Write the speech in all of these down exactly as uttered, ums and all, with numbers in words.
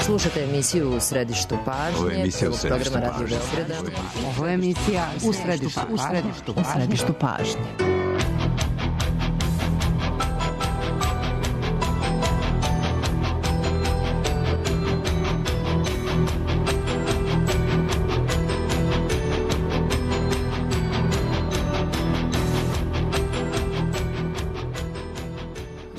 Slušate emisiju U središtu pažnje, prvog programa Radio Beograda. Ovo je emisija U središtu, u središtu, u središtu pažnje.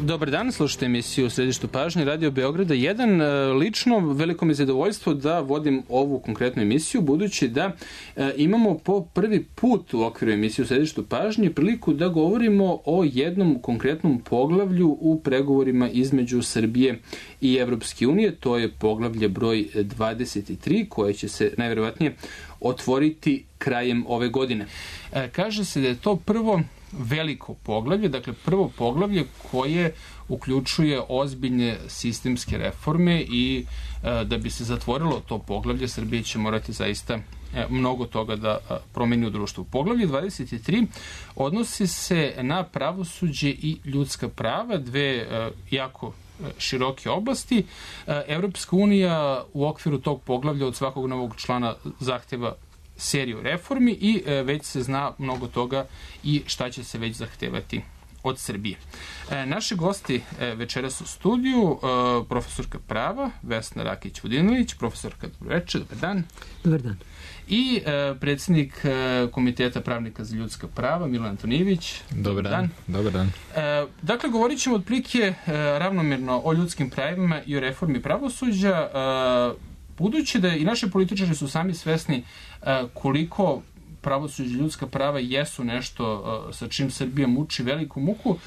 Dobar dan, slušajte emisiju U središtu pažnje Radio Beograda jedan. Lično, veliko mi je zadovoljstvo da vodim ovu konkretnu emisiju, budući da e, imamo po prvi put u okviru emisije U središtu pažnje priliku da govorimo o jednom konkretnom poglavlju u pregovorima između Srbije i Evropske unije. To je poglavlje broj dvadeset tri, koje će se najverovatnije otvoriti krajem ove godine. E, kaže se da je to prvo veliko poglavlje, dakle prvo poglavlje koje uključuje ozbiljne sistemske reforme i e, da bi se zatvorilo to poglavlje, Srbija će morati zaista e, mnogo toga da e, promeni u društvu. Poglavlje dvadeset tri odnosi se na pravosuđe i ljudska prava, dve e, jako široke oblasti. E, Evropska unija u okviru tog poglavlja od svakog novog člana zahteva seriju reformi i e, već se zna mnogo toga i šta će se već zahtevati od Srbije. E, naši gosti e, večeras u studiju, e, profesorka prava Vesna Rakić-Vodinović, profesorka, dobro večer, dobar dan. Dobar dan. I e, predsjednik e, Komiteta pravnika za ljudska prava Milan Antonijević. Dobar dan. dan. Dobar dan. E, dakle, govorit ćemo otprilike e, ravnomjerno o ljudskim pravima i o reformi pravosuđa, e, budući da i naši političari su sami svesni uh, koliko pravosuđe i ljudska prava jesu nešto uh, sa čim Srbija muči veliku muku, uh,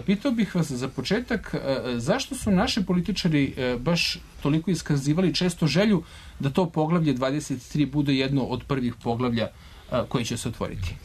pitao bih vas za početak uh, zašto su naši političari uh, baš toliko iskazivali često želju da to poglavlje dvadeset tri bude jedno od prvih poglavlja uh, koji će se otvoriti?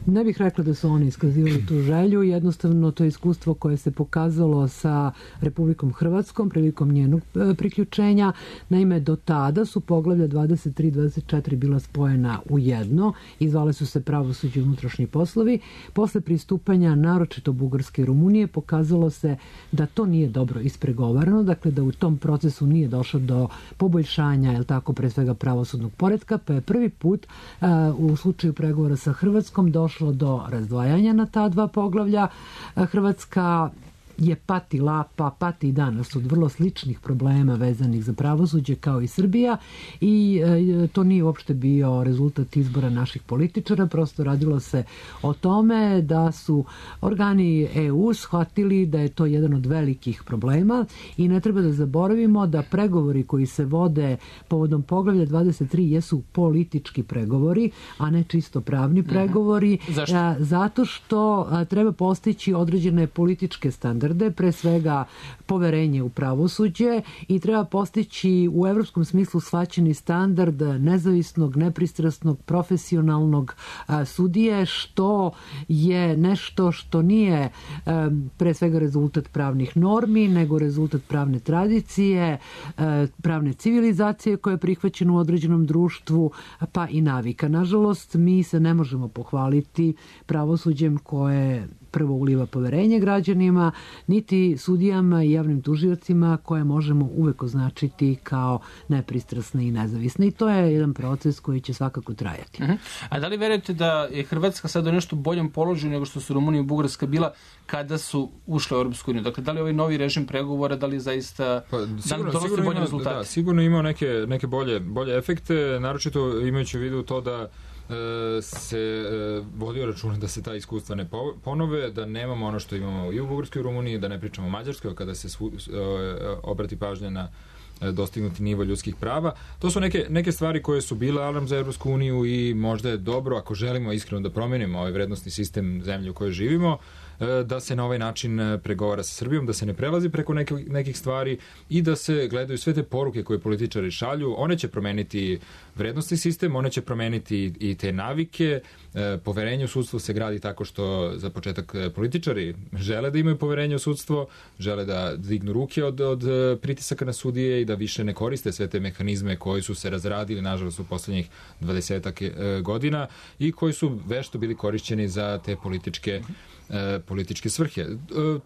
Ne bih rekla da su oni iskazivali tu želju, jednostavno to je iskustvo koje se pokazalo sa Republikom Hrvatskom prilikom njenog priključenja. Naime, do tada su poglavlja dvadeset tri i dvadeset četiri bila spojena u jedno i zvale su se pravosuđe i unutrašnji poslovi. Posle pristupanja, naročito Bugarske i Rumunije, pokazalo se da to nije dobro ispregovarano, dakle da u tom procesu nije došlo do poboljšanja, jel tako, pre svega pravosudnog poretka, pa je prvi put uh, u slučaju pregovora sa Hrvatskom došlo do razdvajanja na ta dva poglavlja. Hrvatska je patila, pa pati i danas od vrlo sličnih problema vezanih za pravosuđe kao i Srbija i e, to nije uopšte bio rezultat izbora naših političara, prosto radilo se o tome da su organi E U shvatili da je to jedan od velikih problema i ne treba da zaboravimo da pregovori koji se vode povodom poglavlja dvadeset tri jesu politički pregovori, a ne čisto pravni pregovori. Zašto? A, zato što a, treba postići određene političke standarde, pre svega poverenje u pravosuđe i treba postići u evropskom smislu shvaćeni standard nezavisnog, nepristrasnog, profesionalnog a, sudije, što je nešto što nije a, pre svega rezultat pravnih normi, nego rezultat pravne tradicije, a, pravne civilizacije koja je prihvaćena u određenom društvu, pa i navika. Nažalost, mi se ne možemo pohvaliti pravosuđem koje prvo uliva poverenje građanima, niti sudijama i javnim tužiocima koje možemo uvek označiti kao nepristrasne i nezavisne. I to je jedan proces koji će svakako trajati. Uh-huh. A da li verujete da je Hrvatska sada u nešto boljem položaju nego što su Rumunija i Bugarska bila kada su ušle u Europsku uniju? Dakle, da li ovaj novi režim pregovora, da li zaista pa, da li donosi bolje rezultate? Da, sigurno imao neke, neke bolje, bolje efekte, naročito imajući u vidu to da se vodio računa da se ta iskustva ne ponove, da nemamo ono što imamo i u Bugarskoj i u Rumuniji, da ne pričamo o Mađarskoj kada se svu, obrati pažnja na dostignuti nivo ljudskih prava. To su neke, neke stvari koje su bile alarm za Evropsku uniju i možda je dobro, ako želimo iskreno da promenimo ovaj vrednostni sistem zemlje u kojoj živimo, da se na ovaj način pregovara sa Srbijom, da se ne prelazi preko neke, nekih stvari i da se gledaju sve te poruke koje političari šalju. One će promeniti vrednostni sistem, one će promeniti i te navike. Poverenje u sudstvo se gradi tako što za početak političari žele da imaju poverenje u sudstvo, žele da dignu ruke od, od pritisaka na sudije i da više ne koriste sve te mehanizme koji su se razradili, nažalost, u poslednjih dvadesetak godina i koji su vešto bili korišćeni za te političke e, političke svrhe. E,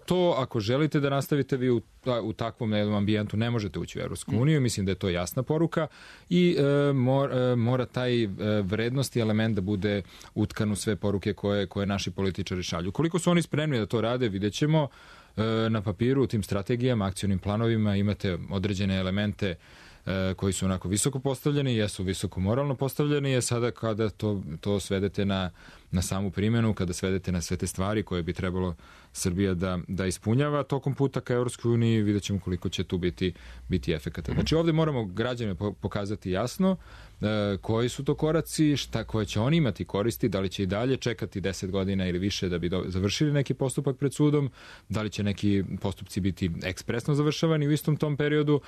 to, ako želite da nastavite vi u, u takvom jednom ambijentu, ne možete ući u Evropsku uniju. Mislim da je to jasna poruka i e, mor, e, mora taj e, vrednosti element da bude utkan u sve poruke koje, koje naši političari šalju. Koliko su oni spremni da to rade, vidjet ćemo. E, na papiru, u tim strategijama, akcionim planovima imate određene elemente koji su onako visoko postavljeni, jesu visoko moralno postavljeni, je sada kada to, to svedete na, na samu primjenu, kada svedete na sve te stvari koje bi trebalo Srbija da, da ispunjava tokom puta ka Evropskoj uniji, vidjet ćemo koliko će tu biti, biti efekata. Znači ovdje moramo građane pokazati jasno e, koji su to koraci, šta koje će oni imati koristi, da li će i dalje čekati deset godina ili više da bi do, završili neki postupak pred sudom, da li će neki postupci biti ekspresno završavani u istom tom periodu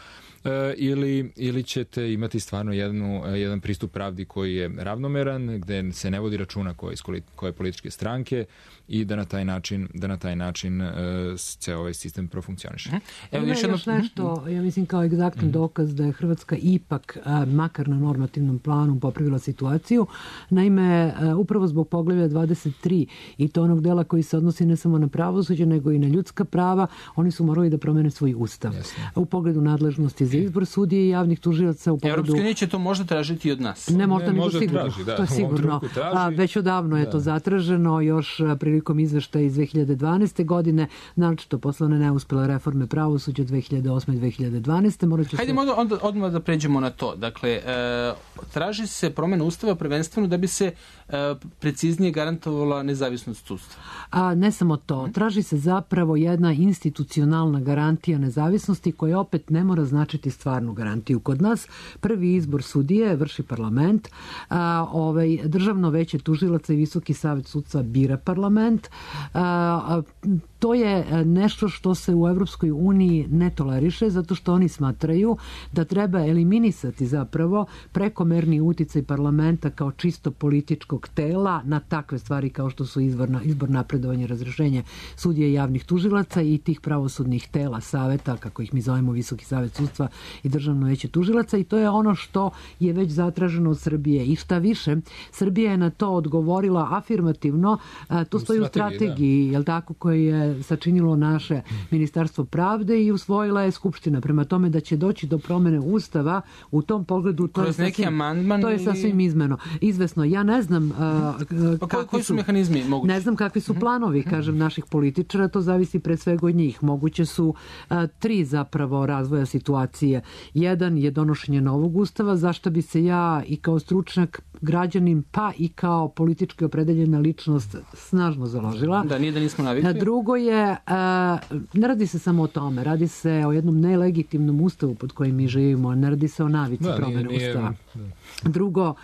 e, ili, ili ćete imati stvarno jednu, jedan pristup pravdi koji je ravnomeran, gde se ne vodi računa koje, koje političke stranke i da na taj način, da na taj način uh, ceo ovaj sistem profunkcioniše. Evo još, još nešto, ja mislim kao egzaktan mm. dokaz da je Hrvatska ipak, uh, makar na normativnom planu, popravila situaciju. Naime, uh, upravo zbog poglavlja dvadeset tri i to onog dela koji se odnosi ne samo na pravosuđe, nego i na ljudska prava, oni su morali da promene svoj ustav. Jasne. U pogledu nadležnosti za izbor sudije i javnih tužilaca. U pogledu... Evropska unija će to možda tražiti i od nas. Ne, možda nego sigurno. Traži, da. To je sigurno. A, već odavno je da. to zatraženo, još prilikom izveštaja iz dve hiljade dvanaeste. godine, naročito posle one neuspele reforme pravosuđa dve hiljade osme i dve hiljade dvanaeste. Morat ću Hajde se... onda, odmah da pređemo na to. Dakle, e, traži se promjena ustava prvenstveno da bi se e, preciznije garantovala nezavisnost sudstva. A ne samo to. Traži se zapravo jedna institucionalna garantija nezavisnosti koja opet ne mora značiti stvarnu garantiju. Kod nas prvi izbor sudije vrši parlament, a, ovaj, državno veće tužilaca i Visoki savet sudstva bira parlament. A, a, to je nešto što se u Evropskoj uniji ne toleriše, zato što oni smatraju da treba eliminisati zapravo prekomerni uticaj parlamenta kao čisto političkog tela na takve stvari kao što su izborna, izbor, napredovanje, razrešenje sudija i javnih tužilaca i tih pravosudnih tela, saveta, kako ih mi zovemo Visoki savet sudstva i državno veće tužilaca, i to je ono što je već zatraženo od Srbije. I šta više, Srbija je na to odgovorila afirmativno, to stoji u strategiji, da. Jel tako, koji je sačinilo naše Ministarstvo pravde i usvojila je Skupština. Prema tome da će doći do promene ustava u tom pogledu, to je sasvim, to je sasvim izmeno. Izvesno. Ja ne znam uh, pa koji, koji su mehanizmi mogući? Ne znam kakvi su planovi, kažem, naših političara, to zavisi pre svega od njih. Moguće su uh, tri zapravo razvoja situacije. Jedan je donošenje novog ustava, zašto bi se ja i kao stručnjak, građanin, pa i kao politički opredeljena ličnost snažno založila. Da, nije da nismo navikli. Drugo je, ne radi se samo o tome, radi se o jednom nelegitimnom ustavu pod kojim mi živimo, ne radi se o navici da, promene nije, nije, ustava. Da. Drugo,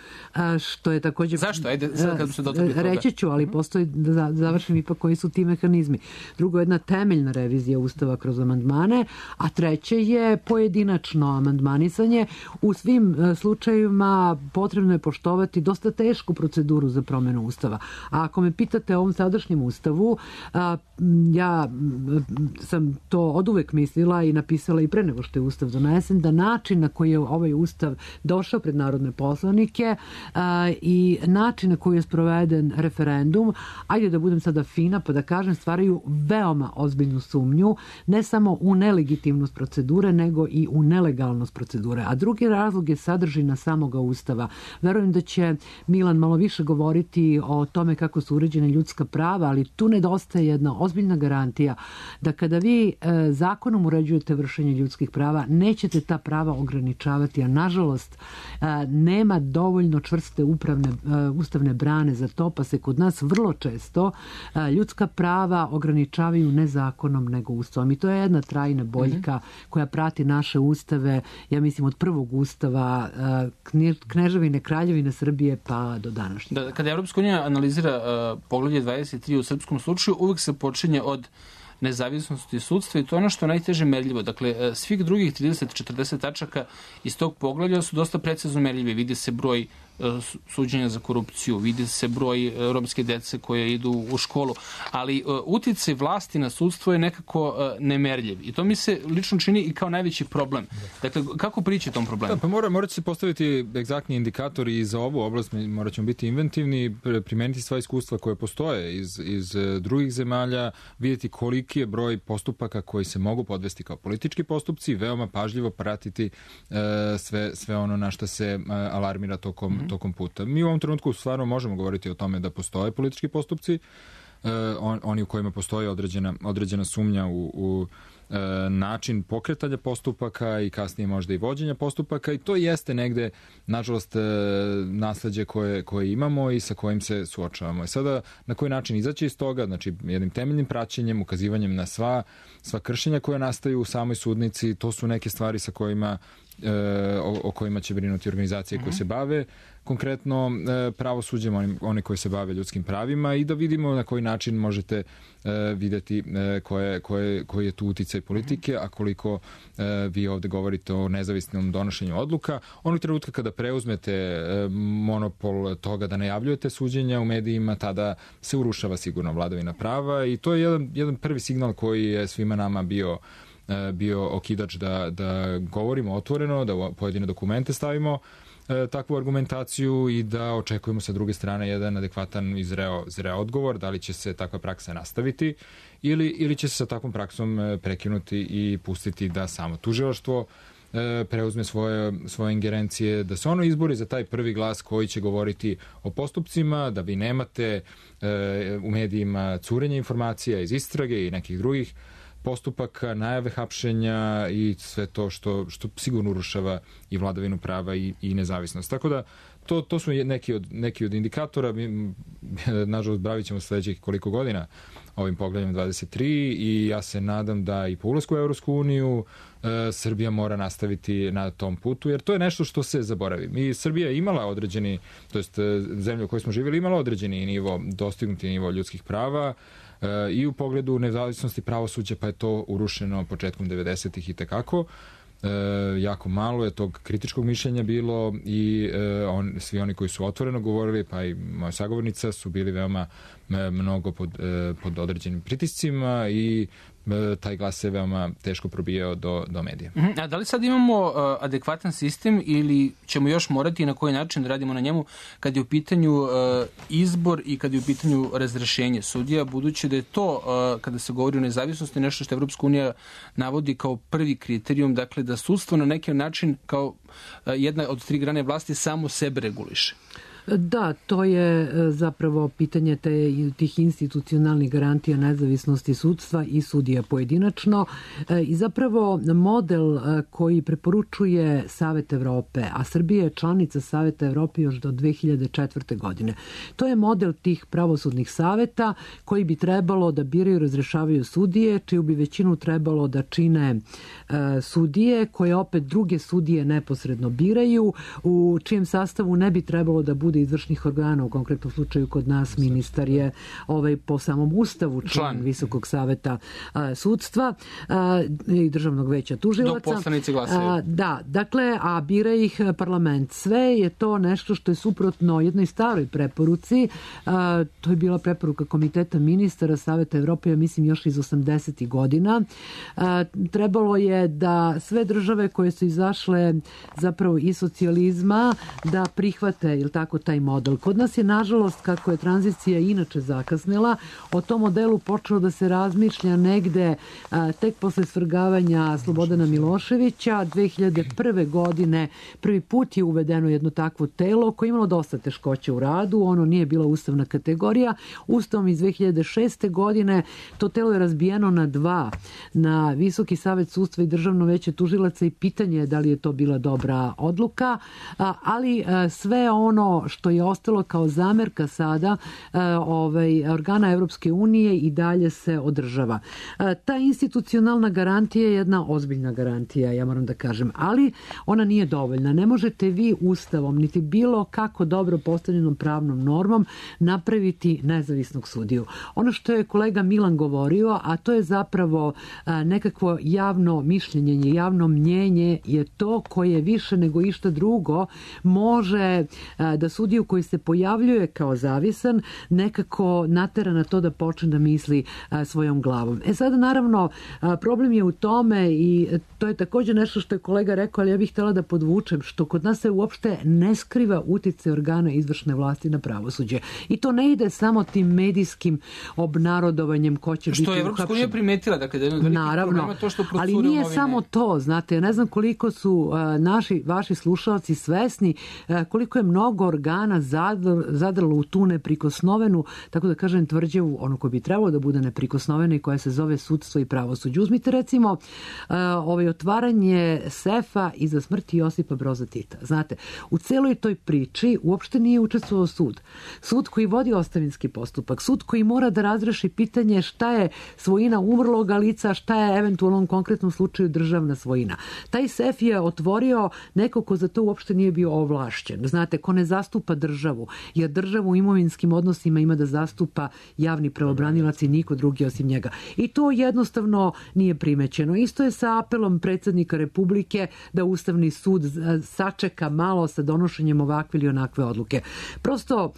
što je također... Zašto? Ajde, sad kad se dotakli toga. Reći ću, ali postoji, da završim ipak koji su ti mehanizmi. Drugo je jedna temeljna revizija ustava kroz amandmane, a treće je pojedinačno amandmanisanje. U svim slučajevima potrebno je poštovati dosta tešku proceduru za promjenu ustava. A ako me pitate o ovom sadašnjem ustavu, ja sam to oduvek mislila i napisala i pre nego što je ustav donesen, da način na koji je ovaj ustav došao pred narodne poslanike a, i način na koji je sproveden referendum, ajde da budem sada fina pa da kažem, stvaraju veoma ozbiljnu sumnju, ne samo u nelegitimnost procedure, nego i u nelegalnost procedure. A drugi razlog je sadržina samoga ustava. Verujem da će Milan malo više govoriti o tome kako su uređene ljudska prava, ali tu nedostaje jedna ozbiljna garantija da kada vi e, zakonom uređujete vršenje ljudskih prava, nećete ta prava ograničavati, a nažalost e, nema dovoljno čvrste upravne, e, ustavne brane za to, pa se kod nas vrlo često e, ljudska prava ograničavaju ne zakonom, nego ustavom. I to je jedna trajna boljka mm-hmm. koja prati naše ustave, ja mislim od prvog ustava e, Kneževine, Kraljevine Srbije pa do današnjeg. Da, kada Evropska unija analizira uh, poglavlje dvadeset tri u srpskom slučaju, uvek se počinje od nezavisnosti sudstva i to je ono što je najteže merljivo. Dakle, svih drugih trideset do četrdeset tačaka iz tog poglavlja su dosta precizno merljivi. Vidi se broj suđenja za korupciju, vidi se broj romske dece koje idu u školu, ali uticaj vlasti na sudstvo je nekako nemerljiv i to mi se lično čini i kao najveći problem. Dakle, kako prići tom problemu? Da, pa mora, mora će se postaviti egzaktni indikatori i za ovu oblast, morat ćemo biti inventivni, primeniti sva iskustva koje postoje iz, iz drugih zemalja, vidjeti koliki je broj postupaka koji se mogu podvesti kao politički postupci, veoma pažljivo pratiti e, sve, sve ono na što se e, alarmira tokom, mm-hmm. tokom puta. Mi u ovom trenutku stvarno možemo govoriti o tome da postoje politički postupci, e, on, oni u kojima postoji određena, određena sumnja u, u e, način pokretanja postupaka i kasnije možda i vođenja postupaka i to jeste negde, nažalost, e, nasleđe koje, koje imamo i sa kojim se suočavamo. I sada, na koji način izaći iz toga, znači jednim temeljnim praćenjem, ukazivanjem na sva, sva kršenja koje nastaju u samoj sudnici, to su neke stvari sa kojima E, o, o kojima će brinuti organizacije koje se bave konkretno e, pravosuđem, oni, one koje se bave ljudskim pravima i da vidimo na koji način možete e, vidjeti e, koje, koje, koji je tu uticaj politike, a koliko e, vi ovde govorite o nezavisnom donošenju odluka. Onog trenutka kada preuzmete e, monopol toga da najavljujete suđenja u medijima, tada se urušava sigurno vladavina prava i to je jedan, jedan prvi signal koji je svima nama bio bio okidač da, da govorimo otvoreno, da u pojedine dokumente stavimo e, takvu argumentaciju i da očekujemo sa druge strane jedan adekvatan i zreo, zreo odgovor, da li će se takva praksa nastaviti ili, ili će se sa takvom praksom prekinuti i pustiti da samo tužilaštvo e, preuzme svoje, svoje ingerencije, da se ono izbori za taj prvi glas koji će govoriti o postupcima, da vi nemate e, u medijima curenje informacija iz istrage i nekih drugih postupaka, najave hapšenja i sve to što, što sigurno urušava i vladavinu prava i, i nezavisnost. Tako da to, to su neki od, neki od indikatora. Mi, nažalost, bavit ćemo sledećih koliko godina ovim pogledom dvadeset tri i ja se nadam da i po ulasku u Evropsku uniju e, Srbija mora nastaviti na tom putu, jer to je nešto što se zaboravi. Mi, Srbija je imala određeni, to jest zemlja u kojoj smo živjeli, imala određeni nivo, dostignuti nivo ljudskih prava, i u pogledu nezavisnosti pravosuđa, pa je to urušeno početkom devedesetih i tekako. E, jako malo je tog kritičkog mišljenja bilo i e, on, svi oni koji su otvoreno govorili, pa i moja sagovornica, su bili veoma e, mnogo pod, e, pod određenim pritiscima i e, taj glas se veoma teško probijao do, do medija. Uh-huh. A da li sad imamo uh, adekvatan sistem ili ćemo još morati i na koji način da radimo na njemu kad je u pitanju uh, izbor i kad je u pitanju razrešenje sudija, budući da je to, uh, kada se govori o nezavisnosti, nešto što Evropska unija navodi kao prvi kriterijum, dakle da sudstvo na neki način kao uh, jedna od tri grane vlasti samo sebe reguliše. Da, to je zapravo pitanje te, tih institucionalnih garantija nezavisnosti sudstva i sudija pojedinačno i zapravo model koji preporučuje Savet Evrope, a Srbija je članica Saveta Evrope još do dve hiljade četvrte. godine. To je model tih pravosudnih saveta koji bi trebalo da biraju i razrešavaju sudije, čiju bi većinu trebalo da čine sudije, koje opet druge sudije neposredno biraju, u čijem sastavu ne bi trebalo da bude izvršnih organa, u konkretnom slučaju kod nas ministar je ovaj, po samom ustavu član, član. Visokog saveta a, sudstva a, i državnog veća tužilaca. Dok poslanici glasaju. Da, dakle, a bira ih parlament. Sve je to nešto što je suprotno jednoj staroj preporuci. A, to je bila preporuka Komiteta ministara Saveta Evrope, ja mislim još iz osamdesetih godina. A, trebalo je da sve države koje su izašle zapravo iz socijalizma da prihvate, ili tako, taj model. Kod nas je, nažalost, kako je tranzicija inače zakasnila, o tom modelu počelo da se razmišlja negde a, tek posle svrgavanja Slobodana Miloševića. dve hiljade prve. godine prvi put je uvedeno jedno takvo telo koje je imalo dosta teškoća u radu. Ono nije bila ustavna kategorija. Ustavom iz dve hiljade šeste. godine to telo je razbijeno na dva. Na Visoki savet sudstva i Državno veće tužilaca i pitanje je da li je to bila dobra odluka. A, ali a, sve ono što je ostalo kao zamerka sada ovaj, organa Evropske unije i dalje se održava. Ta institucionalna garantija je jedna ozbiljna garantija, ja moram da kažem, ali ona nije dovoljna. Ne možete vi ustavom, niti bilo kako dobro postavljenom pravnom normom napraviti nezavisnog sudiju. Ono što je kolega Milan govorio, a to je zapravo nekakvo javno mišljenje, javno mnjenje je to koje više nego išta drugo može da sudiju koji se pojavljuje kao zavisan nekako natera na to da počne da misli svojom glavom. E sada naravno problem je u tome i to je također nešto što je kolega rekao, ali ja bih htjela da podvučem, što kod nas se uopšte ne skriva uticaj organa izvršne vlasti na pravosuđe. I to ne ide samo tim medijskim obnarodovanjem ko će biti uhapšen. Što je Evropska unija primetila, dakle, da je jedan naravno, to što ali nije novine. Samo to, znate, ne znam koliko su uh, naši, vaši slušalci svesni uh, koliko je mnogo organa zadr, zadrlo u tu neprikosnovenu, tako da kažem, tvrđavu, ono koje bi trebalo da bude neprikosnovena i koja se zove sudstvo i pravosuđe. Uzmite recimo uh, ovaj otvaranje sefa iza smrti Josipa Broza Tita. Znate, u celoj toj priči uopšte nije učestvovao sud. Sud koji vodi ostavinski postupak, sud koji mora da razreši pitanje šta je svojina umrloga lica, šta je eventualno u konkretnom slučaju državna svojina. Taj sef je otvorio neko ko za to uopšte nije bio ovlašćen. Znate, ko ne zastupa državu, jer državu u imovinskim odnosima ima da zastupa javni pravobranilac i niko drugi osim njega. I to jednostavno nije primećeno. Isto je sa apelom predsjednika Republike da Ustavni sud sačeka malo sa donošenjem ovakve ili onakve odluke. Prosto,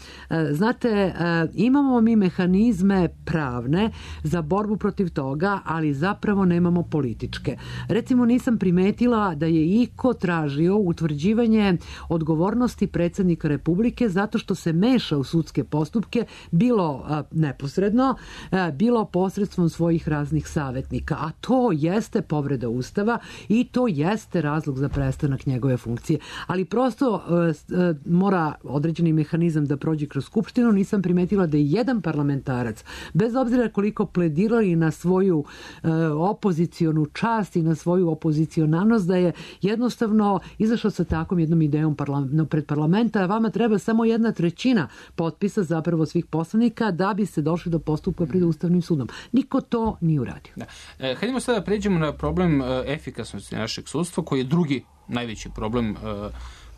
znate, imamo mi mehanizme pravne za borbu protiv toga, ali zapravo nemamo političke. Recimo, nisam primetila da je iko tražio utvrđivanje odgovornosti predsjednika Republike zato što se meša u sudske postupke, bilo a, neposredno, a, bilo posredstvom svojih raznih savjetnika. A to jeste povreda Ustava i to jeste razlog za prestanak njegove funkcije. Ali prosto a, a, mora određeni mehanizam da prođe kroz Skupštinu. Nisam primetila da je jedan parlamentarac, bez obzira koliko pledirali na svoju e, opozicionu čast i na svoju opozicionalnost, da je jednostavno izašao sa takvom jednom idejom parla- pred parlamenta. Vama treba samo jedna trećina potpisa zapravo svih poslanika da bi se došli do postupka pred Ustavnim sudom. Niko to nije uradio. Da. E, hajdemo sada pređemo na problem e, efikasnosti našeg sudstva, koji je drugi najveći problem e,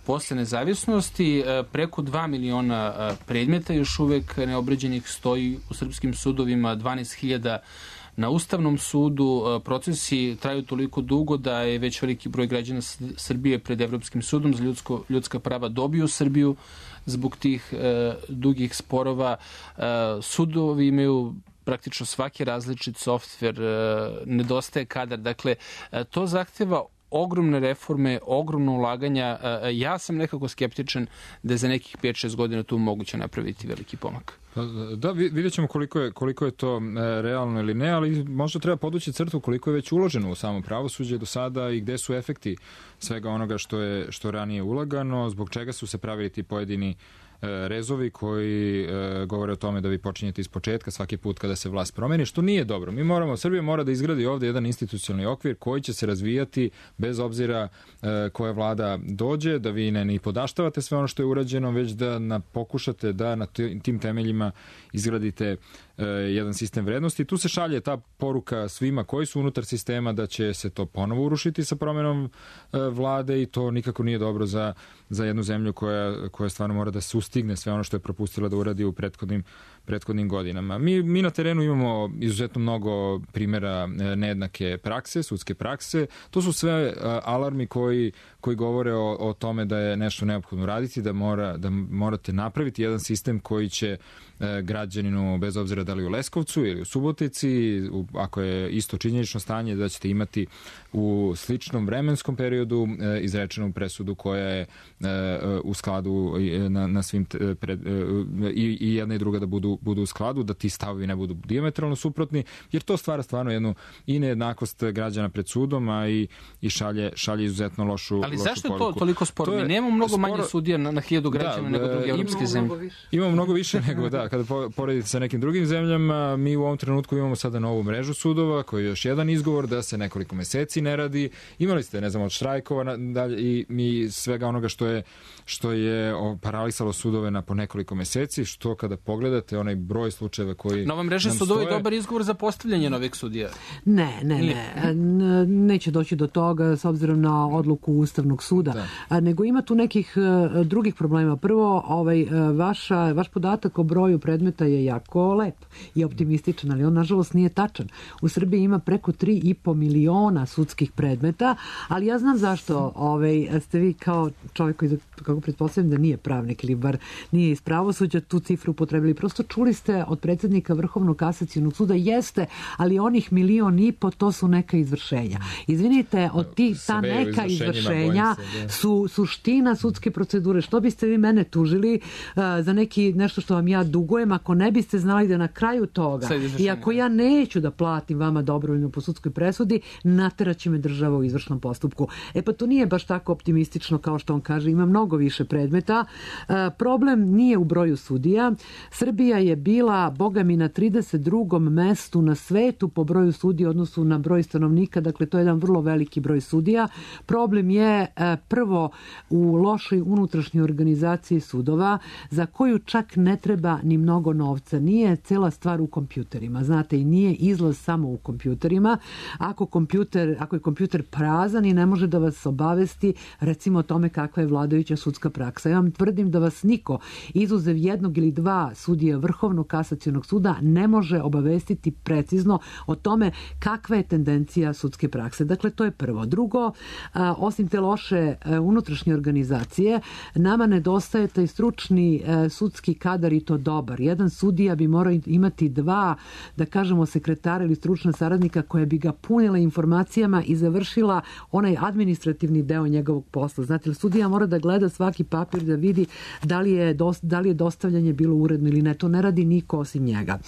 posle nezavisnosti. Preko dva miliona predmeta još uvek neobrađenih stoji u srpskim sudovima, dvanaest hiljada na Ustavnom sudu. Procesi traju toliko dugo da je već veliki broj građana Srbije pred Evropskim sudom za ljudsko, ljudska prava dobio Srbiju zbog tih e, dugih sporova. E, sudovi imaju praktično svaki različit softver, e, nedostaje kadar. Dakle, e, to zahteva ogromne reforme, ogromno ulaganja. Ja sam nekako skeptičan da je za nekih pet šest godina tu moguće napraviti veliki pomak. Da, vidjet ćemo koliko je, koliko je to realno ili ne, ali možda treba podući crtu koliko je već uloženo u samo pravosuđe do sada i gde su efekti svega onoga što je što ranije ulagano, zbog čega su se pravili ti pojedini rezovi koji e, govore o tome da vi počinjete iz početka svaki put kada se vlast promeni, što nije dobro. Mi moramo, Srbija mora da izgradi ovde jedan institucionalni okvir koji će se razvijati bez obzira e, koja vlada dođe, da vi ne ni podaštavate sve ono što je urađeno, već da na, pokušate da na tim temeljima izgradite e, jedan sistem vrednosti. Tu se šalje ta poruka svima koji su unutar sistema da će se to ponovo urušiti sa promenom e, vlade i to nikako nije dobro za, za jednu zemlju koja, koja stvarno mora da se stigne sve ono što je propustila da uradi u prethodnim, prethodnim godinama. Mi, mi na terenu imamo izuzetno mnogo primjera nejednake prakse, sudske prakse. To su sve alarmi koji, koji govore o, o tome da je nešto neophodno raditi, da, mora, da morate napraviti jedan sistem koji će građaninu, bez obzira da li u Leskovcu ili u Subotici, u, ako je isto činjenično stanje, da ćete imati u sličnom vremenskom periodu e, izrečenu presudu koja je e, u skladu na, na svim pred, e, i, i jedna i druga da budu budu, budu u skladu, da ti stavovi ne budu dijametralno suprotni, jer to stvara stvarno jednu i nejednakost građana pred sudom, a i, i šalje, šalje izuzetno lošu poruku. Ali zašto je to toliko sporo? Mi nemamo mnogo sporo... manje sudija na, na hiljadu građana da, nego druge evropske zemlje. Imamo mnogo više nego, da, kada poredite sa nekim drugim zemljama, mi u ovom trenutku imamo sada novu mrežu sudova, koji je još jedan izgovor da se nekoliko meseci ne radi. Imali ste, ne znam, od štrajkova dalje, i mi svega onoga što je, što je paralisalo sudove na po nekoliko meseci, što kada pogledate onaj broj slučajeva koji Nova mreža sudova je dobar izgovor za postavljanje novih sudija. Ne, ne, ne. Neće doći do toga s obzirom na odluku Ustavnog suda. Da. Nego ima tu nekih drugih problema. Prvo, ovaj, vaša, vaš podatak o broju predmeta je jako lep i optimističan, ali on nažalost nije tačan. U Srbiji ima preko tri i po miliona sudskih predmeta, ali ja znam zašto ovaj, ste vi kao čovjek koji, kako pretpostavljam da nije pravnik ili bar nije iz pravosuđa, tu cifru upotrebili. Prosto čuli ste od predsjednika Vrhovnog kasacionog suda, jeste, ali onih milion i po, to su neka izvršenja. Izvinite, od tih ta neka izvršenja su suština sudske procedure. Što biste vi mene tužili uh, za neki nešto što vam ja dugujem, ako ne biste znali da na kraju toga i ako ja neću da platim vama dobrovoljno po sudskoj presudi, nateraće me država u izvršnom postupku. E pa to nije baš tako optimistično kao što on kaže, ima mnogo više predmeta. Uh, problem nije u broju sudija. Srbija je bila, boga mi, na trideset drugom mestu na svetu po broju sudija odnosu na broj stanovnika, dakle to je jedan vrlo veliki broj sudija. Problem je uh, prvo u lošoj unutrašnjoj organizaciji sudova, za koju čak ne treba ni mnogo novca. Nije cela stvar u kompjuterima, znate, i nije izlaz samo u kompjuterima. Ako, kompjuter, ako je kompjuter prazan i ne može da vas obavesti recimo o tome kakva je vladajuća sudska praksa. Ja vam tvrdim da vas niko, izuzev jednog ili dva sudije Vrhovnog kasacionog suda, ne može obavestiti precizno o tome kakva je tendencija sudske prakse. Dakle, to je prvo. Drugo, a, osim te loše a, unutrašnje organizacije, nama nedostaje taj stručni a, sudski kadar i to dobar. Jedan sudija bi morao imati dva, da kažemo, sekretara ili stručna saradnika koja bi ga punila informacijama i završila onaj administrativni deo njegovog posla. Znate, sudija mora da gleda svaki papir da vidi da li je, da li je dostavljanje bilo uredno ili ne. To ne radi niko osim njega.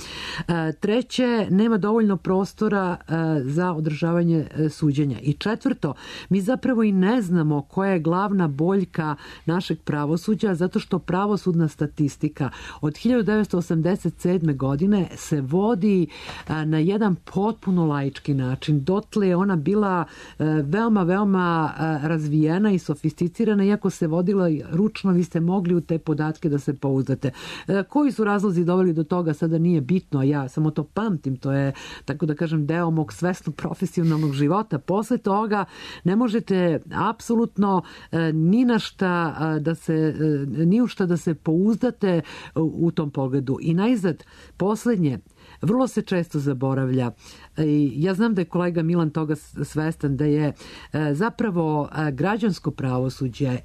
Treće, nema dovoljno prostora za održavanje suđenja. I četvrto, mi zapravo i ne znamo koja je glavna boljka našeg pravosuđa, zato što pravosudna statistika od hiljadu devetsto osamdeset sedme. godine se vodi na jedan potpuno laički način. Dotle je ona bila veoma, veoma razvijena i sofisticirana, iako se vodila ručno, vi ste mogli u te podatke da se pouzdate. Koji su razlozi doveli do toga, sada nije bitno, ja samo to pamtim, to je, tako da kažem, deo mog svesno profesionalnog života. Posle toga ne možete apsolutno ni na šta da se, ni u šta da se pouzdate u tom pogledu. I najzad, poslednje, vrlo se često zaboravlja. Ja znam da je kolega Milan toga svestan, da je zapravo građansko pravosuđe,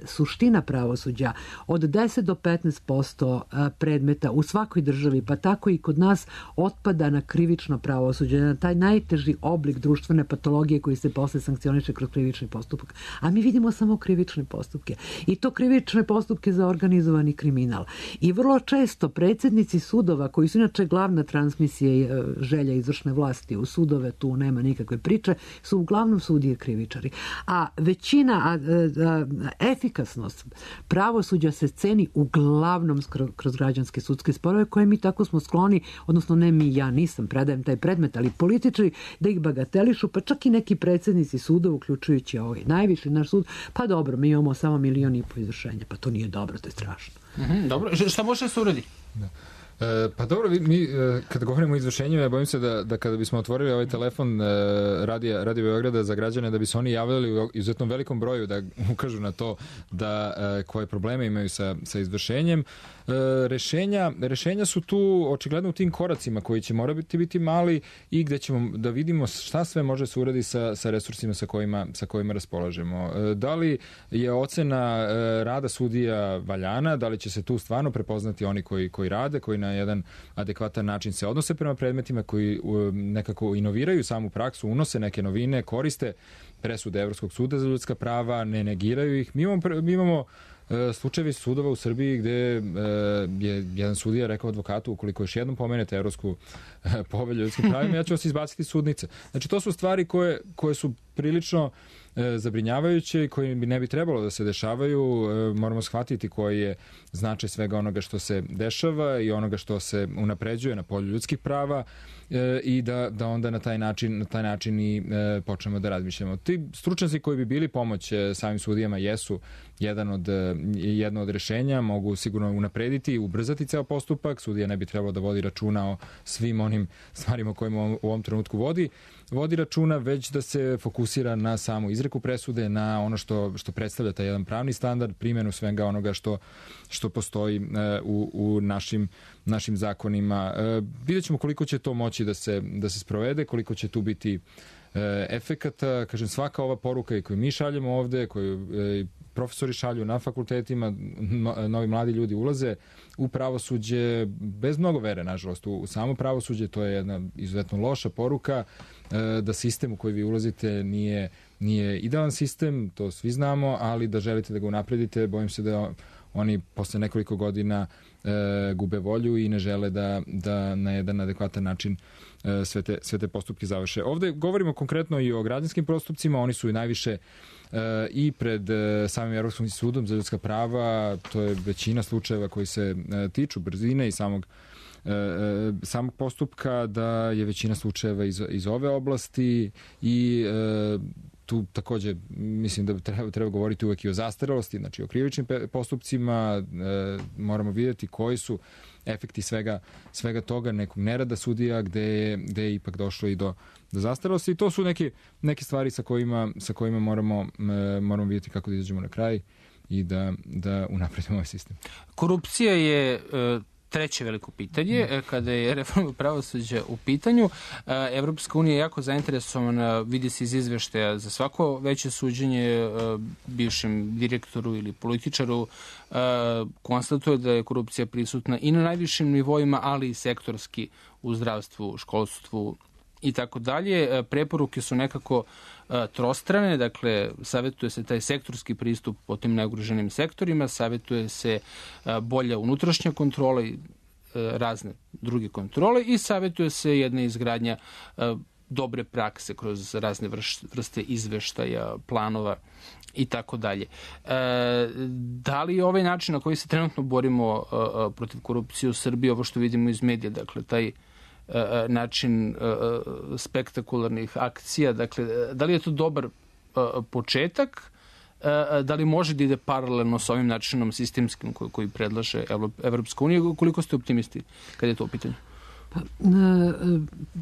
suština pravosuđa, od deset do petnaest posto predmeta u svakoj državi, pa tako i kod nas, otpada na krivično pravosuđe, na taj najteži oblik društvene patologije koji se posle sankcioniše kroz krivični postupak. A mi vidimo samo krivične postupke. I to krivične postupke za organizovani kriminal. I vrlo često predsjednici sudova, koji su inače glavna transmisija želja izvršne vlasti u sudove, tu nema nikakve priče, su uglavnom sudije krivičari. A većina, a, a, efikasnost pravosuđa se ceni uglavnom kroz građanske sudske sporove, koje mi tako smo skloni, odnosno ne mi, ja nisam, predajem taj predmet, ali političari da ih bagatelišu, pa čak i neki predsjednici sudova, uključujući ovaj najviši naš sud, pa dobro, mi imamo samo milion i po izvršenja, pa to nije dobro, to je strašno. Mm-hmm, dobro, šta može da se uradi? Da. E, pa dobro, mi e, kada govorimo o izvršenju, ja bojim se da, da kada bismo otvorili ovaj telefon e, radija, Radio Beograda za građane, da bi se oni javljali u izuzetno velikom broju da ukažu na to da e, koje probleme imaju sa, sa izvršenjem. E, rešenja, rešenja su tu očigledno u tim koracima koji će morati biti mali i gde ćemo da vidimo šta sve može se uradi sa, sa resursima sa kojima, sa kojima raspolažemo. E, da li je ocena e, rada sudija valjana, da li će se tu stvarno prepoznati oni koji, koji rade, koji na na jedan adekvatan način se odnose prema predmetima, koji nekako inoviraju samu praksu, unose neke novine, koriste presude Evropskog suda za ljudska prava, ne negiraju ih. Mi imamo, mi imamo slučajevi sudova u Srbiji gde je jedan sudija rekao advokatu, ukoliko još jednom pomenete Evropsku povelju ljudskim pravima, ja ću vas izbaciti sudnice. Znači, to su stvari koje, koje su prilično zabrinjavajuće i koje bi ne bi trebalo da se dešavaju. Moramo shvatiti koji je značaj svega onoga što se dešava i onoga što se unapređuje na polju ljudskih prava i da, da onda na taj način, na taj način i počnemo da razmišljamo. Ti stručnjaci koji bi bili pomoć samim sudijama jesu jedan od, jedno od rešenja, mogu sigurno unaprediti i ubrzati ceo postupak. Sudija ne bi trebalo da vodi računa o svim onim stvarima kojima u ovom trenutku vodi, vodi računa, već da se fokusira na samu izreku presude, na ono što, što predstavlja taj jedan pravni standard, primjenu svega onoga što, što postoji u, u našim, našim zakonima. Vidjet ćemo koliko će to moći da se, da se sprovede, koliko će tu biti efekata. Kažem, svaka ova poruka koju mi šaljemo ovde, koju profesori šalju na fakultetima, novi mladi ljudi ulaze u pravosuđe bez mnogo vere, nažalost, u samo pravosuđe. To je jedna izuzetno loša poruka, da sistem u koji vi ulazite nije, nije idealan sistem, to svi znamo, ali da želite da ga unapredite, bojim se da oni posle nekoliko godina e, gube volju i ne žele da, da na jedan adekvatan način e, sve, te, sve te postupke završe. Ovde govorimo konkretno i o građanskim postupcima, oni su i najviše e, i pred e, samim Evropskim sudom za ljudska prava, to je većina slučajeva koji se e, tiču brzine i samog E, samog postupka, da je većina slučajeva iz, iz ove oblasti i e, tu takođe mislim da treba, treba govoriti uvek i o zastarelosti, znači o krivičnim postupcima, e, moramo vidjeti koji su efekti svega, svega toga, nekog nerada sudija gde je, gde je ipak došlo i do, do zastarelosti i to su neke, neke stvari sa kojima, sa kojima moramo, e, moramo vidjeti kako da izađemo na kraj i da, da unapredimo ovaj sistem. Korupcija je e... treće veliko pitanje, kada je reforma pravosuđa u pitanju. Evropska unija je jako zainteresovana, vidi se iz izveštaja, za svako veće suđenje bivšem direktoru ili političaru, konstatuje da je korupcija prisutna i na najvišim nivoima, ali i sektorski u zdravstvu, školstvu i tako dalje. Preporuke su nekako trostrane, dakle, savjetuje se taj sektorski pristup po tim najugroženim sektorima, savjetuje se bolja unutrašnja kontrola i razne druge kontrole i savjetuje se jedna izgradnja dobre prakse kroz razne vrste izveštaja, planova i tako dalje. Da li je ovaj način na koji se trenutno borimo protiv korupcije u Srbiji, ovo što vidimo iz medija, dakle, taj način spektakularnih akcija, dakle, da li je to dobar početak, da li može da ide paralelno sa ovim načinom sistemskim koji, koji predlaže Evropska unija, koliko ste optimisti kada je to u pitanju? Pa,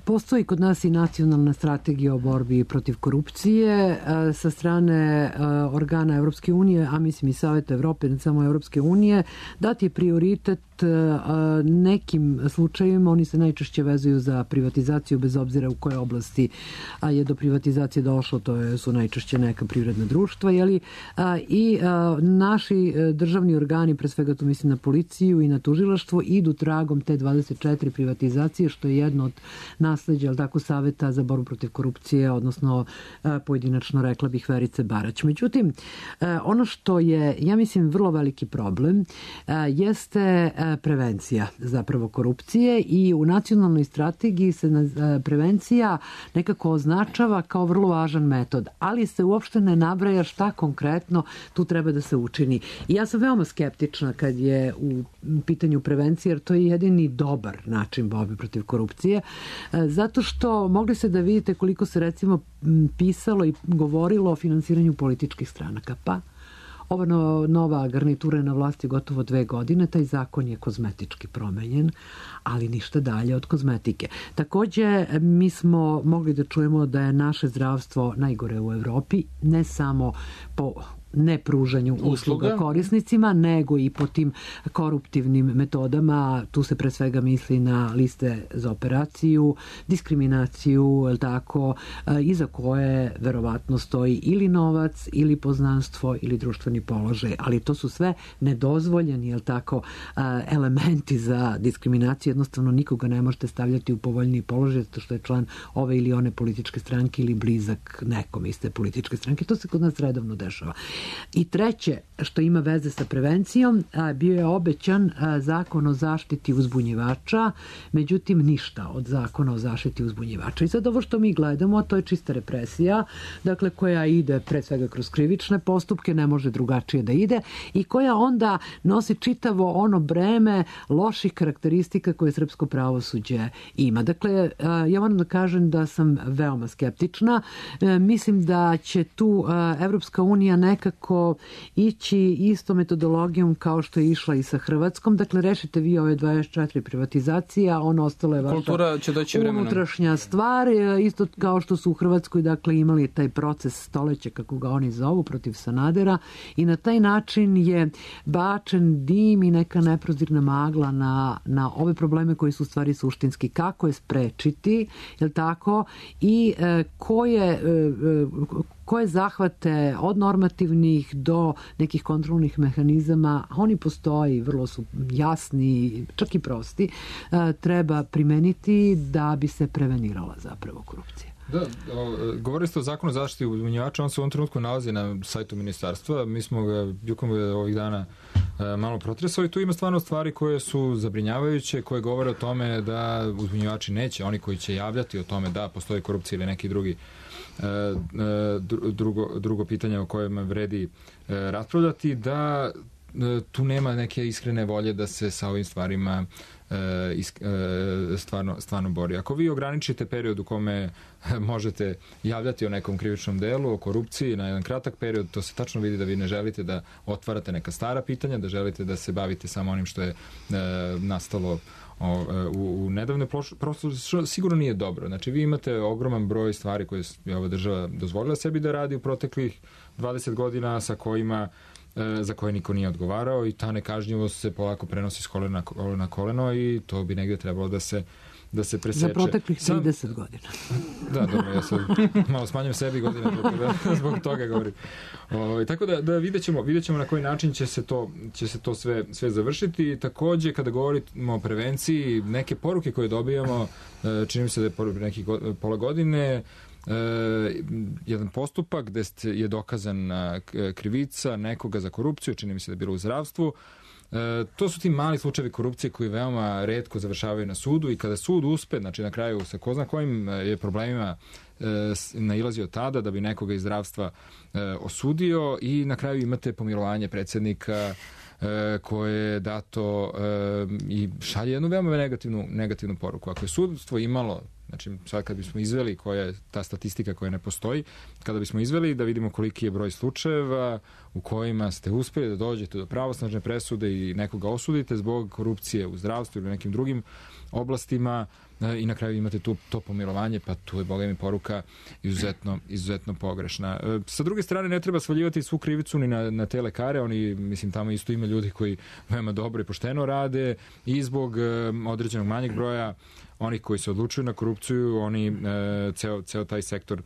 postoji kod nas i nacionalna strategija o borbi protiv korupcije sa strane organa Evropske unije, a mislim i Saveta Evrope, ne samo Evropske unije, dati je prioritet nekim slučajevima, oni se najčešće vezuju za privatizaciju bez obzira u kojoj oblasti je do privatizacije došlo, to su najčešće neka privredna društva, jeli, i naši državni organi, pre svega tu mislim na policiju i na tužilaštvo, idu tragom te dvadeset četiri privatizacije, što je jedno od nasleđa, ali tako, Saveta za borbu protiv korupcije, odnosno pojedinačno rekla bih Verice Barać. Međutim, ono što je, ja mislim, vrlo veliki problem jeste prevencija zapravo korupcije i u nacionalnoj strategiji se prevencija nekako označava kao vrlo važan metod, ali se uopšte ne nabraja šta konkretno tu treba da se učini. I ja sam veoma skeptična kad je u pitanju prevencije, jer to je jedini dobar način borbe protiv korupcije, zato što mogli se da vidite koliko se recimo pisalo i govorilo o finansiranju političkih stranaka. Pa ova nova garnitura je na vlasti gotovo dve godine, taj zakon je kozmetički promenjen, ali ništa dalje od kozmetike. Takođe, mi smo mogli da čujemo da je naše zdravstvo najgore u Evropi, ne samo po nepružanju usluga, usluga korisnicima, nego i po tim koruptivnim metodama. Tu se pre svega misli na liste za operaciju, diskriminaciju, je li tako, iza koje verovatno stoji ili novac, ili poznanstvo, ili društveni položaj. Ali to su sve nedozvoljeni, je li tako, elementi za diskriminaciju. Jednostavno nikoga ne možete stavljati u povoljniji položaj zato što je član ove ili one političke stranke ili blizak nekom iste političke stranke. To se kod nas redovno dešava. I treće, što ima veze sa prevencijom, bio je obećan zakon o zaštiti uzbunjivača, međutim ništa od zakona o zaštiti uzbunjivača. I sad ovo što mi gledamo, to je čista represija, dakle koja ide pre svega kroz krivične postupke, ne može drugačije da ide i koja onda nosi čitavo ono breme loših karakteristika koje srpsko pravosuđe ima. Dakle, ja moram da kažem da sam veoma skeptična. Mislim da će tu Evropska unija nekako ići isto metodologijom kao što je išla i sa Hrvatskom. Dakle, rešite vi ove dvadeset četiri privatizacije, a ono ostalo je vaša unutrašnja stvar. Isto kao što su u Hrvatskoj dakle, imali taj proces stoleća, kako ga oni zovu, protiv Sanadera i na taj način je bačen dim i neka neprozirna magla na, na ove probleme koji su u stvari suštinski. Kako je sprečiti, je li tako, i e, koje, e, koje zahvate od normativnih do nekih kontrolnih mehanizama, oni postoji, vrlo su jasni, čak i prosti, e, treba primeniti da bi se prevenirala zapravo korupcija. Da, o, govorili ste o zakonu o zaštiti uzbunjivača, on se u ovom trenutku nalazi na sajtu ministarstva, mi smo ga bjukom ovih dana e, malo protresali, tu ima stvarno stvari koje su zabrinjavajuće, koje govore o tome da uzbunjivači neće, oni koji će javljati o tome da postoji korupcija ili neki drugi e, e, drugo, drugo pitanje o kojem vredi e, raspravljati, da e, tu nema neke iskrene volje da se sa ovim stvarima E, e, stvarno, stvarno bori. Ako vi ograničite period u kome možete javljati o nekom krivičnom delu, o korupciji na jedan kratak period, to se tačno vidi da vi ne želite da otvarate neka stara pitanja, da želite da se bavite samo onim što je e, nastalo o, u, u nedavne prosto sigurno nije dobro. Znači vi imate ogroman broj stvari koje je ova država dozvolila sebi da radi u proteklih dvadeset godina sa kojima za koje niko nije odgovarao i ta nekažnjivost se polako prenosi s kolena na koleno i to bi negdje trebalo da se da se preseče. Za proteklih trideset godina. Da, dobro, ja sad malo smanjam sebi godine da, zbog toga govorim. O, tako da, da vidjet ćemo, vidjet ćemo na koji način će se to, će se to sve, sve završiti. Također, kada govorimo o prevenciji, neke poruke koje dobijamo, čini mi se da je poruke nekih pola godine, Uh, jedan postupak gde je dokazana krivica nekoga za korupciju, čini mi se da je bilo u zdravstvu. Uh, to su ti mali slučajevi korupcije koji veoma retko završavaju na sudu i kada sud uspe, znači na kraju sa ko zna kojim je problemima uh, nailazio tada da bi nekoga iz zdravstva uh, osudio i na kraju imate pomilovanje predsjednika koje je dato i šalje jednu veoma negativnu, negativnu poruku. Ako je sudstvo imalo, znači sad kad bismo izveli koja je ta statistika koja ne postoji, kada bismo izveli da vidimo koliki je broj slučajeva u kojima ste uspjeli da dođete do pravosnažne presude i nekoga osudite zbog korupcije u zdravstvu ili nekim drugim oblastima i na kraju imate tu, to pomilovanje, pa tu je, boga mi, poruka izuzetno, izuzetno pogrešna. Sa druge strane, ne treba svaljivati svu krivicu ni na, na te lekare, oni, mislim, tamo isto ima ljudi koji veoma dobro i pošteno rade i zbog um, određenog manjeg broja onih koji se odlučuju na korupciju, oni, uh, ceo, ceo taj sektor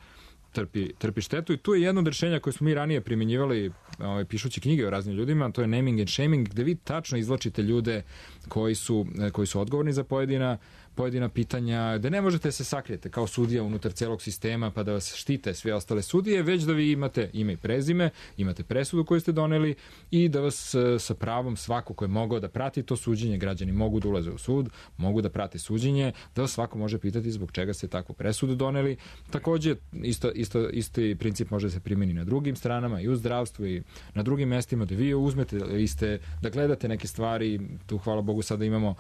trpi, trpi štetu i tu je jedno od rešenja koje smo mi ranije primjenjivali ovaj, pišući knjige o raznim ljudima, to je naming and shaming, gde vi tačno izvlačite ljude koji su, koji su odgovorni za pojedina pojedina pitanja, da ne možete se sakrijete kao sudija unutar celog sistema pa da vas štite sve ostale sudije, već da vi imate ime i prezime, imate presudu koju ste doneli i da vas sa pravom svako ko je mogao da prati to suđenje, građani mogu da ulaze u sud, mogu da prate suđenje, da vas svako može pitati zbog čega ste takvu presudu doneli. Takođe, isto, isto, isti princip može da se primeni na drugim stranama i u zdravstvu i na drugim mestima da vi uzmete iste, da gledate neke stvari, tu hvala Bogu sada imamo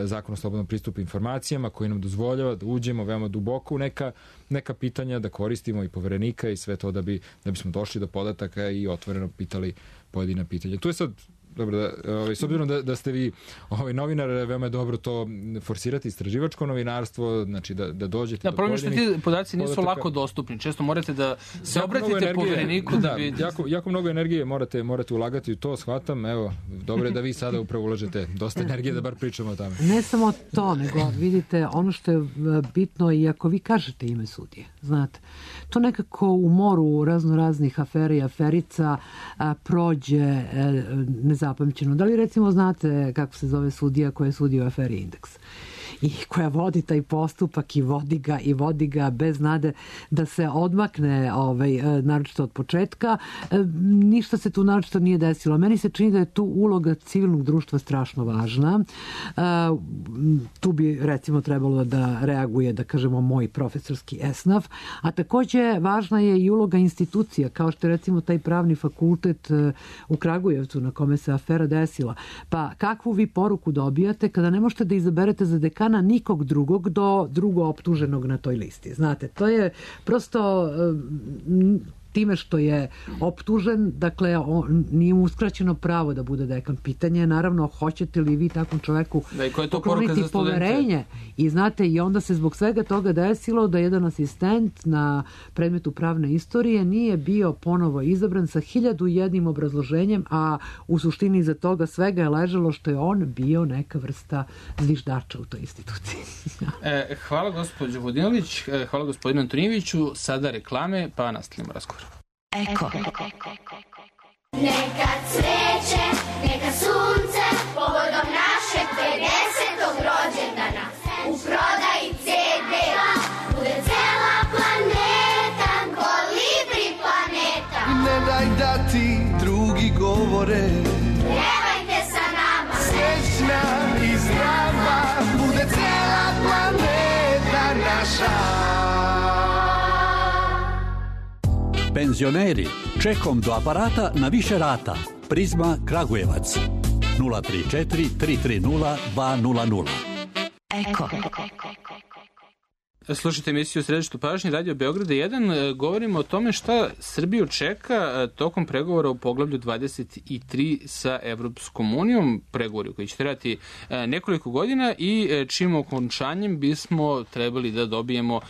Zakon o slobodnom pristupu informacijama koji nam dozvoljava da uđemo veoma duboko u neka, neka pitanja, da koristimo i poverenika i sve to da bi da bismo došli do podataka i otvoreno pitali pojedina pitanja. Tu je sad dobro, da, ovaj, s obzirom da, da ste vi ovaj, novinar, veoma je dobro to forsirati, istraživačko novinarstvo, znači da, da dođete da, do problem što ti podaci nisu podataka. lako dostupni. Često morate da se jako obratite povereniku da, da bi... Jako, jako mnogo energije morate, morate ulagati u to, shvatam. Evo, dobro je da vi sada upravo ulažete dosta energije da bar pričamo o tome. Ne samo to, nego vidite, ono što je bitno i ako vi kažete ime sudije, znate, to nekako u moru razno raznih afera i aferica a, prođe e, nezapamćeno. Da li recimo znate kako se zove sudija koja je sudio u aferi Indeks? I koja vodi taj postupak i vodi ga i vodi ga bez nade da se odmakne ovaj, naročito od početka. Ništa se tu naročito nije desilo. Meni se čini da je tu uloga civilnog društva strašno važna. Tu bi recimo trebalo da reaguje, da kažemo, moj profesorski esnaf, a takođe važna je i uloga institucija, kao što je recimo taj pravni fakultet u Kragujevcu na kome se afera desila. Pa kakvu vi poruku dobijate kada ne možete da izaberete za dekana nikog drugog do drugo optuženog na toj listi. Znate, to je prosto time što je optužen, dakle, on, nije mu uskraćeno pravo da bude dekan. Pitanje je, naravno, hoćete li vi takvom čoveku da, pokloniti poverenje? I znate, i onda se zbog svega toga desilo da jedan asistent na predmetu pravne istorije nije bio ponovo izabran sa hiljadu jednim obrazloženjem, a u suštini iza toga svega je ležalo što je on bio neka vrsta zviždača u toj instituciji. e, hvala gospođo Vodinilić, hvala gospodinu Antonijeviću. Sada reklame, pa nastavljamo razgovor. Eko. Neka cveće, neka sunce, povodom našeg pedesetog rođendana. U prodaji ce de bude cela planeta, kolibri planeta. Ne daj da ti drugi govore, pjevajte sa nama. Srećna i zdrava bude cela planeta naša. Penzioneri, čekom do aparata na više rata. Prizma Kragujevac. nula tri četiri tri tri nula dva nula nula. Eko. Slušajte emisiju Središtu pažnje Radio Beograda jedan. Govorimo o tome šta Srbiju čeka tokom pregovora u poglavlju dvadeset tri sa Evropskom unijom, pregovori koji će trajati nekoliko godina i čim okončanjem bismo trebali da dobijemo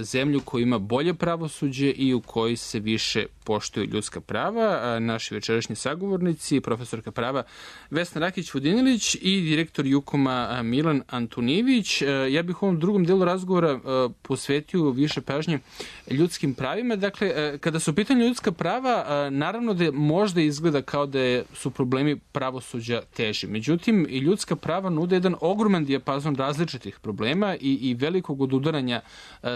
zemlju koja ima bolje pravosuđe i u kojoj se više poštuju ljudska prava. Naši večerašnji sagovornici, profesorka prava Vesna Rakić-Vodinilić i direktor Jukoma Milan Antonijević. Ja bih u ovom drugom delu razgovora posvetio više pažnje ljudskim pravima. Dakle, kada su u pitanju ljudska prava, naravno da možda izgleda kao da su problemi pravosuđa teži. Međutim, i ljudska prava nude jedan ogroman dijapazon različitih problema i, i velikog odudaranja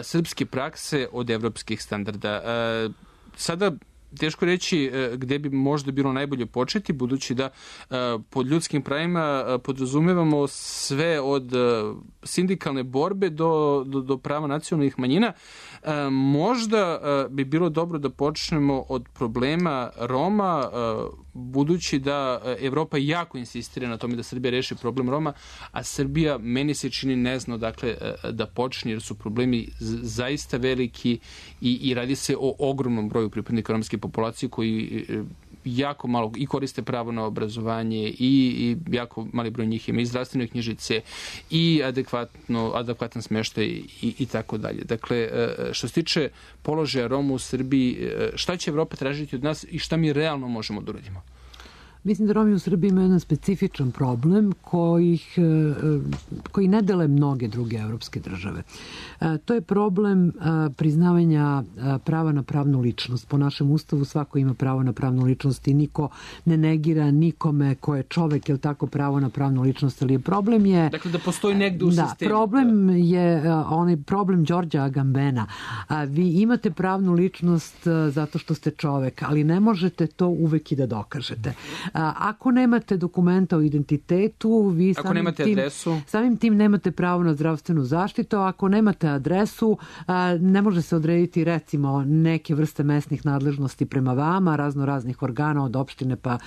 srpske prakse od evropskih standarda. Sada teško reći gde bi možda bilo najbolje početi, budući da pod ljudskim pravima podrazumevamo sve od sindikalne borbe do, do, do prava nacionalnih manjina. Možda bi bilo dobro da počnemo od problema Roma, budući da Evropa jako insistira na tome da Srbija reši problem Roma, a Srbija, meni se čini, ne zna dakle da počne, jer su problemi zaista veliki i, i radi se o ogromnom broju pripadnika romske populacije koji jako malo i koriste pravo na obrazovanje i, i jako mali broj njih ima i zdravstvene knjižice i adekvatno, adekvatan smještaj i, i tako dalje. Dakle, što se tiče položaja Roma u Srbiji, šta će Evropa tražiti od nas i šta mi realno možemo da uradimo? Mislim da Romi u Srbiji imaju jedan specifičan problem kojih, koji ne dele mnoge druge evropske države. To je problem priznavanja prava na pravnu ličnost. Po našem ustavu svako ima pravo na pravnu ličnost i niko ne negira nikome ko je čovek, je tako, pravo na pravnu ličnost, ali problem je... Dakle, da postoji negde u da, sistemu. Problem je onaj problem Đorđa Agambena. Vi imate pravnu ličnost zato što ste čovek, ali ne možete to uvek i da dokažete. Ako nemate dokumenta o identitetu, vi ako samim nemate tim, adresu, samim tim nemate pravo na zdravstvenu zaštitu. Ako nemate adresu, ne može se odrediti recimo neke vrste mesnih nadležnosti prema vama, razno raznih organa od opštine pa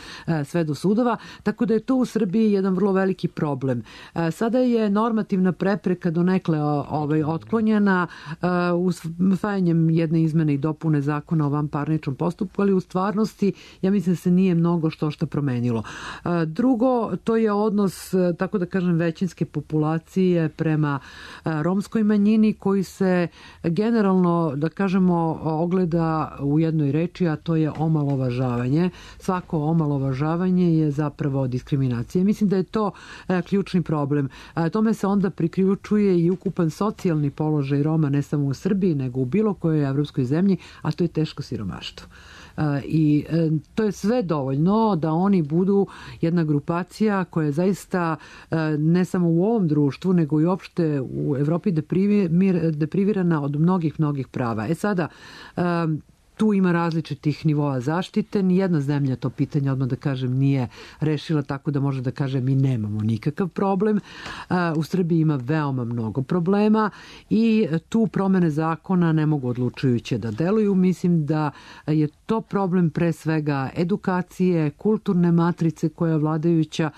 sve do sudova. Tako da je to u Srbiji jedan vrlo veliki problem. Sada je normativna prepreka donekle ovaj, otklonjena usvajanjem jedne izmene i dopune zakona o vanparničnom postupku, ali u stvarnosti ja mislim da se nije mnogo što što promenilo. Drugo, to je odnos, tako da kažem, većinske populacije prema romskoj manjini koji se generalno, da kažemo, ogleda u jednoj reči, a to je omalovažavanje. Svako omalovažavanje je zapravo diskriminacija. Mislim da je to ključni problem. Tome se onda priključuje i ukupan socijalni položaj Roma, ne samo u Srbiji, nego u bilo kojoj evropskoj zemlji, a to je teško siromaštvo. I to je sve dovoljno da oni budu jedna grupacija koja je zaista ne samo u ovom društvu, nego i uopšte u Evropi deprivirana od mnogih, mnogih prava. E sada, tu ima različitih nivoa zaštite. Nijedna zemlja to pitanje, odmah da kažem, nije rešila, tako da može da kaže mi nemamo nikakav problem. U Srbiji ima veoma mnogo problema i tu promene zakona ne mogu odlučujuće da deluju. Mislim da je to problem pre svega edukacije, kulturne matrice koja je vladajuća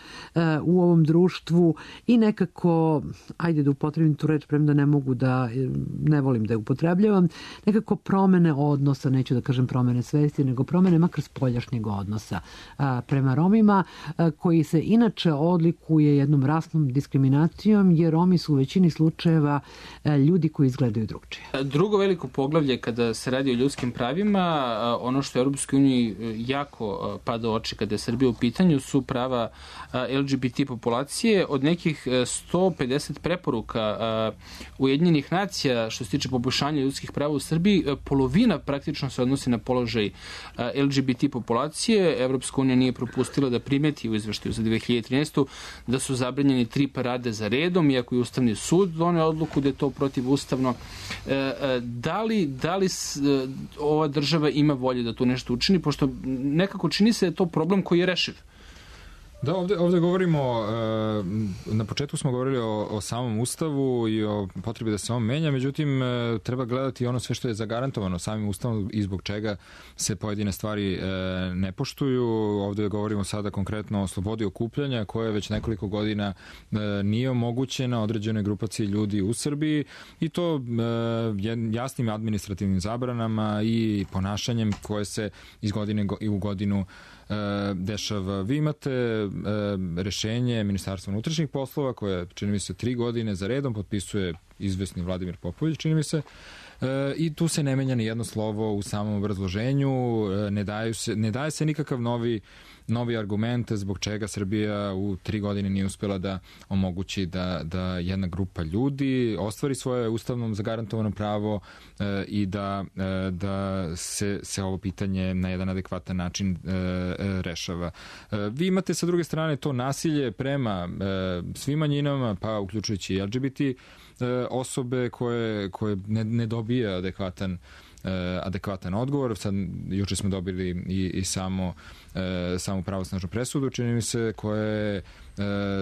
u ovom društvu i nekako, ajde da upotrebim tu reč, premda ne mogu da, ne volim da je upotrebljavam, nekako promene odnosa, neću da kažem promene svesti, nego promene makar spoljašnjeg odnosa a, prema Romima, a, koji se inače odlikuje jednom rasnom diskriminacijom, jer Romi su u većini slučajeva a, ljudi koji izgledaju drugčije. Drugo veliko poglavlje kada se radi o ljudskim pravima, a, ono što je Europskoj uniji jako pada u oči kada je Srbija u pitanju, su prava a, L G B T populacije. Od nekih sto pedeset preporuka a, Ujedinjenih nacija što se tiče poboljšanja ljudskih prava u Srbiji, polovina praktično se odnosi na položaj L G B T populacije. Evropska unija nije propustila da primeti u izveštaju za dve hiljade trinaestu da su zabranjeni tri parade za redom, iako je Ustavni sud doneo odluku da je to protivustavno. Da li, da li ova država ima volje da tu nešto učini, pošto nekako čini se da je to problem koji je rešiv? Da, ovde, ovde govorimo, na početku smo govorili o, o samom Ustavu i o potrebi da se on menja, međutim treba gledati ono sve što je zagarantovano samim Ustavom i zbog čega se pojedine stvari ne poštuju. Ovde govorimo sada konkretno o slobodi okupljanja koja već nekoliko godina nije omogućena određenoj grupaciji ljudi u Srbiji i to jasnim administrativnim zabranama i ponašanjem koje se iz godine u godinu dešava. Vi imate rešenje Ministarstva unutrašnjih poslova koje, čini mi se, tri godine za redom potpisuje izvesni Vladimir Popović, čini mi se, i tu se ne menja ni jedno slovo u samom obrazloženju, ne, daju se, ne daje se nikakav novi novi argument zbog čega Srbija u tri godine nije uspela da omogući da, da jedna grupa ljudi ostvari svoje ustavnom zagarantovano pravo e, i da, e, da se, se ovo pitanje na jedan adekvatan način e, e, rešava. E, vi imate sa druge strane to nasilje prema e, svim manjinama, pa uključujući i L G B T e, osobe koje, koje ne, ne dobija adekvatan adekvatan odgovor. Sad, juče smo dobili i, i samo e, samu pravosnažnu presudu, čini mi se, koja je e,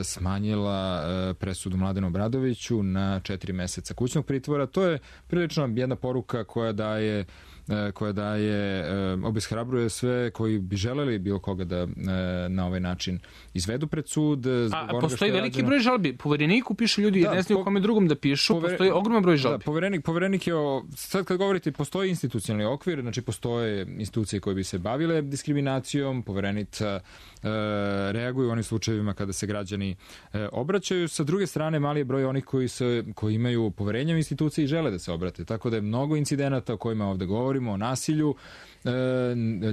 smanjila e, presudu Mladenu Obradoviću na četiri meseca kućnog pritvora. To je prilično jedna poruka koja daje koja daje, obeshrabruje sve koji bi želeli bilo koga da na ovaj način izvedu pred sud. A postoji veliki rađeno. Broj žalbi. Povereniku piše ljudi, da, ne znaju po, kome drugom da pišu, pover... postoji ogroman broj žalbi. Da, poverenik, poverenik je, o, sad kad govorite, postoji institucionalni okvir, znači postoje institucije koje bi se bavile diskriminacijom, poverenica e, reaguju u onim slučajevima kada se građani e, obraćaju. Sa druge strane, mali je broj onih koji, se, koji imaju poverenje u institucije i žele da se obrate. Tako da je mnogo incidenata o kojima ovde govorimo, o nasilju,